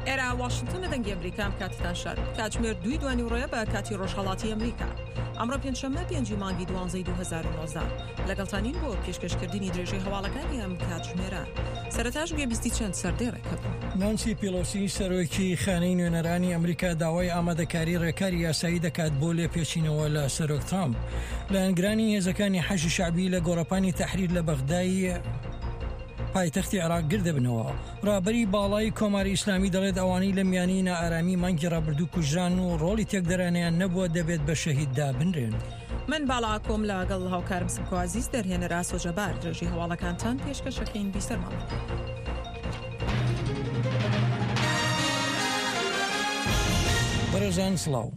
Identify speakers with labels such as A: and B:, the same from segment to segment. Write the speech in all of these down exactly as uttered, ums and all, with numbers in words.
A: ئێرە واشنتن دەنگی ئەمریکا، کاتتان شاد. کاتژمێر دووی دوانیوڕۆیە بە کاتی ڕۆژهەڵاتی ئەمریکا. ئەمڕۆ پێنجشەممە پێنجی مانگی دوانزەی دوو هەزار و نۆزدە لەگەڵتانین بۆ پێشکەشکردنی درێژەی هەواڵەکانی ئەم کاتژمێرە. سەرەتاش گوێبیستی چەند سەردێڕێک هەبوو.
B: نانسی پیلۆسی سەرۆکی خانەی نوێنەرانی ئەمریکا داوای ئامادەکاری ڕێکاری یاسایی دەکات بۆ لێپێچینەوە لە سەرۆک ترامپ. لایەنگرانی هێزەکانی حەشی شەعبی لە گۆڕەپانی تەحریر لە بەغدای پایتەختی عێراق گردبنەوە. ڕابەری باڵای کۆماری ئیسلامی دەڵێت ئەوانەی لە میانی نائارامی مانگی ڕابردوو کوژران و ڕۆڵی تێکدەرانیان نەبووە دەبێت بە شەهید دابنرێن.
A: من باڵا ئاکۆم لەگەڵ هاوکارم سمکۆ عەزیز، دەرهێنەر ئاسۆ جەبار، درێژی هەواڵەکانتان پێشکەشەکەین. بیسەرمان بن.
B: بەڕێزان سڵاو.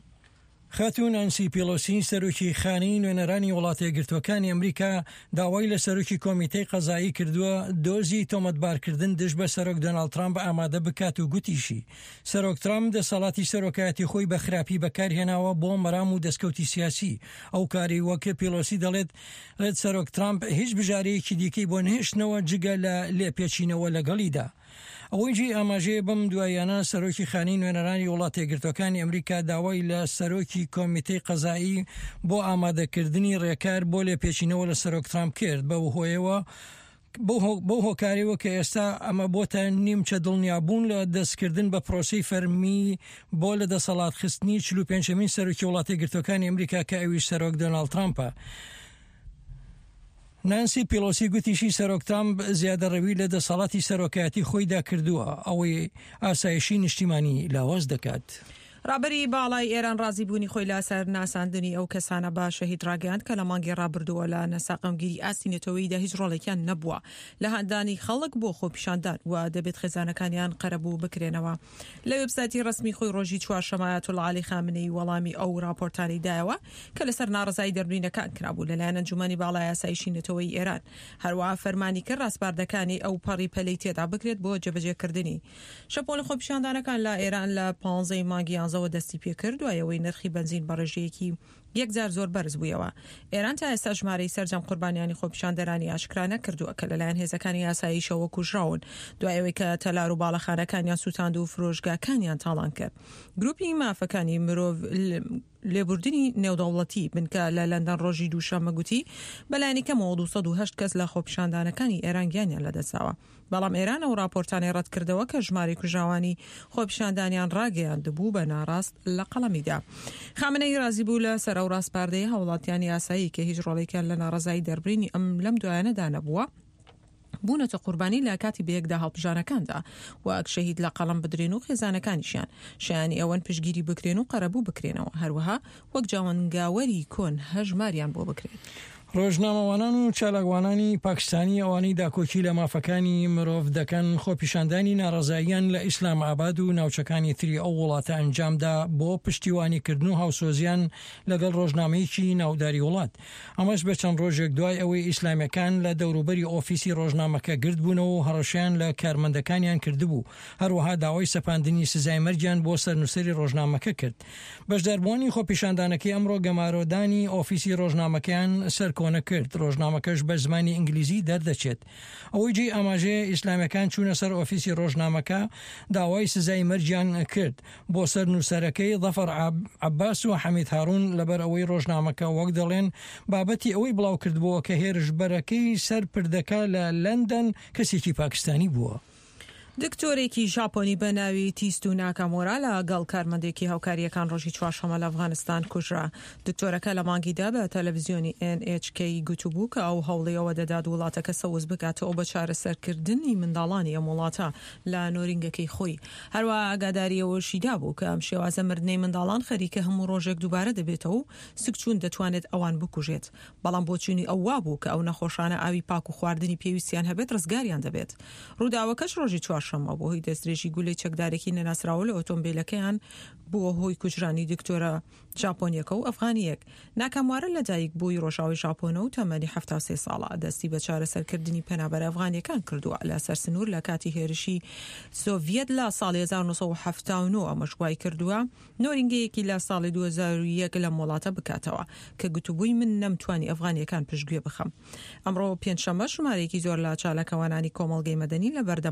B: خاتوو نانسی پیلۆسی سەرۆکی خانەی نوێنەرانی وڵاتە یەکگرتووەکانی ئەمریکا داوای لە سەرۆکی کۆمیتەی قەزایی کردووە دۆزی تۆمەتبارکردن دژ بە سەرۆک دۆناڵد ترامپ ئامادە بکات و گوتیشی سەرۆک ترامپ دەسەڵاتی سەرۆکایەتی خۆی بە خراپی بەکارهێناوە بۆ مەرام و دەستکەوتی سیاسی. ئەو کاری وەک پیلۆسی دەڵێت ڕێت سەرۆک ترامپ هیچ بژارەیەکی دیکەی بۆ نەهێشتنەوە جگە لە لێپێچینەوە لەگەڵیدا. ئەوەی جێی ئاماژەیە بەم دواییانە سەرۆکی خانەی نوێنەرانی وڵاتە یەکگرتووەکانی ئەمریکا داوای لە سەرۆکی کۆمیتەی قەزایی بۆ ئامادەکردنی ڕێکار بۆ لێپێچینەوە لە سەرۆک ترامپ کرد، بەو هۆیەوە بەو هۆکارەوە کە ئێستا ئەمە بۆتە نیمچە دڵنیابوون لە دەستکردن بە پرۆسەی فەرمی بۆ لە دەسەڵات خستنی چل و پێنجەمین سەرۆکی وڵاتە یەکگرتووەکانی ئەمریکا کە ئەویش سەرۆک دۆناڵد ترامپە. نانسی پیلۆسی گوتیشی سەرۆک ترامپ زیادەڕەوی لە دەسەڵاتی سەرۆکایەتی خۆیدا کردووە، ئەوەی ئاسایشی نیشتیمانی لاواز دەکات.
A: ڕابەری باڵای ئێران ڕازیبوونی خۆی لەسەر ناساندنی ئەو کەسانە بە شەهید ڕاگەیاند کە لە مانگی ڕابردووە لە ناساقەمگیری ئاستی نەتەوەییدا هیچ ڕۆڵێکیان نەبووە لە هاندانی خەڵک بۆ خۆپیشاندان و دەبێت خێزانەکانیان قەرەبوو بکرێنەوە. لە وێبسایتی ڕەسمی خۆی ڕۆژی چوارشەممە ئایەتوڵڵا عەلی خامنەیی وەڵامی ئەو راپۆرتانەی دایەوە کە لەسەر ناڕەزایی دەربڕینەکان کرابوو لەلایەن ئەنجومەنی باڵای ئاسایشی نەتەوەیی ئێران. هەروەها فەرمانی کرد ڕاسپاردەکانی ئەو پەڕی پەلەی تێدا بکرێت بۆ جێبەجێکردنی. شەپۆلی خۆپیشاندانەکان لە ئێران لە پانزەی مانگی یانزەوە دەستی پێکرد دوای ئەوەی نرخی بەنزین بە ڕێژەیەکی یەکجار زۆر بەرز بوویەوە. ئێران تا ئێستا ژمارەی سەرجەم قوربانیانی خۆپیشاندەرانی ئاشکرا نەکردووە کە لەلایەن هێزەکانی ئاسایشەوە کوژراون دوای ئەوەی کە تەلار و باڵەخانەکانیان سووتاند و فرۆشگاکانیان تاڵان کرد. گروپی مافەکانی مرۆڤ لێبوردنی نێودەوڵەتی بنکە لە لەندەن ڕۆژی دووشەممە گوتی بەلایەنی کەمەوە دوو سەد و هەشت کەس لە خۆپیشاندانەکانی ئێران گیانیان لەدەستداوە. بەڵام ئێران ئەو راپۆرتانەی ڕەتکردەوە کە ژمارەی کوژراوانی خۆپیشاندانیان ڕاگەیاندبوو بە ناڕاست لە قەڵەمیدا. خامنەیی ڕازی بوو لە سەر ئەو ڕاسپاردەی هاوڵاتیانی ئاسایی کە هیچ ڕۆڵێکیان لە ناڕەزایی دەربڕینی ئەم لەم دوایانەدا نەبووە، بوونەتە قوربانی لە کاتی بەیەکدا هەڵپژانەکاندا وەک شەهید لە قەڵەم بدرێن و خێزانەکانیشیان شایانی ئەوەن پشتگیری بکرێن و قەرەبوو بکرێنەوە، هەروەها وەک جاوەنگاوەری کۆن هەژماریان بۆ بکرێت.
B: ڕۆژنامەوانان و چالاکوانانی پاکستانی ئەوانەی داکۆکی لە مافەکانی مرۆڤ دەکەن خۆپیشاندانی ناڕەزاییان لە ئیسلام ئاباد و ناوچەکانی تری ئەو وڵاتە ئەنجامدا بۆ پشتیوانیکردن و هاوسۆزیان لەگەڵ ڕۆژنامەیەکی ناوداری وڵات. ئەمەش بە چەند ڕۆژێک دوای ئەوەی ئیسلامیەکان لە دەوروبەری ئۆفیسی ڕۆژنامەکە گردبوونەوە و هەڕەشەیان لە کارمەندەکانیان کردبوو، هەروەها داوای سەپاندنی سزای مەرگیان بۆ سەرنووسەری ڕۆژنامەکە کرد. بەشداربووانی خۆپیشاندانەکەی ئەمڕۆ گەمارۆدانی ئۆفیسی ڕۆژنامەکەیان سەرکۆنە کرد، ڕۆژنامەکەش بە زمانی ئینگلیزی دەردەچێت. ئەوەی جێی ئاماژەیە ئیسلامیەکان چوونە سەر ئۆفیسی ڕۆژنامەکە داوای سزای مەرگیان کرد بۆ سەر نووسەرەکەی ظەفەر عەباس و حەمید هارون لەبەر ئەوەی ڕۆژنامەکە وەک دەڵێن بابەتی ئەوەی بڵاو کردبووە کە هێرشبەرەکەی سەر پردەکە لە لەندەن کەسێکی پاکستانی بووە.
A: دکتۆرێکی ژاپۆنی بە ناوی تیستو ناکامۆرا لەگەڵ کارمەندێکی هاوکارییەکان ڕۆژی چوارشەممە لە ئەفغانستان کوژرا. دکتۆرەکە لە مانگیدا بە تەلەڤزیۆنی ئێن ئێچ کەی گوتبوو کە ئەو هەوڵی ئەوە دەدات وڵاتەکە سەوز بکاتەوە بە چارەسەرکردنی منداڵانی ئەم وڵاتە لە نۆرینگەکەی خۆی. هەروەها ئاگاداری ئەوەشی دابوو کە ئەم شێوازە مردنەی منداڵان خەریکە هەموو ڕۆژێک دووبارە دەبێتەوە و سکچوون دەتوانێت ئەوان بکوژێت. بەڵام بۆچوونی ئەو وابوو کە ئەو نەخۆشانە ئاوی پاک و خواردنی پێویستیان هەبێت ڕزگاریان دەبێت. ڕووداوەکەش ڕۆژی چوارشەممە بۆ هۆی دەستدرێژی گولەی چەکدارێکی نەناسراوە لە ئۆتۆمبیلەکەیان بووە هۆی کوژرانی دکتۆرە ژاپۆنیەکە و ئەفغانیەک. ناکاموارە لەدایک بووی ڕۆژاوای ژاپۆنە و تەمەنی حەفتا و سێ ساڵە. دەستی بە چارەسەرکردنی پەنابەرە ئەفغانیەکان کردووە لە سەر سنوور لە کاتی هێرشی سۆڤیەت لە ساڵی هەزار و نۆ سەد و حەفتا و نۆ. ئەمەش وای کردووە نۆرینگەیەکی لە ساڵی دوو هەزار و یەک لەم وڵاتە بکاتەوە کە گوتبووی من نەمتوانی ئەفغانیەکان پشتگوێ بخەم. ئەمڕۆ پێنجشەممە ژمارەیەکی زۆر لە چالاکوانانی کۆمەڵگەی مەدەنی لە بەردەم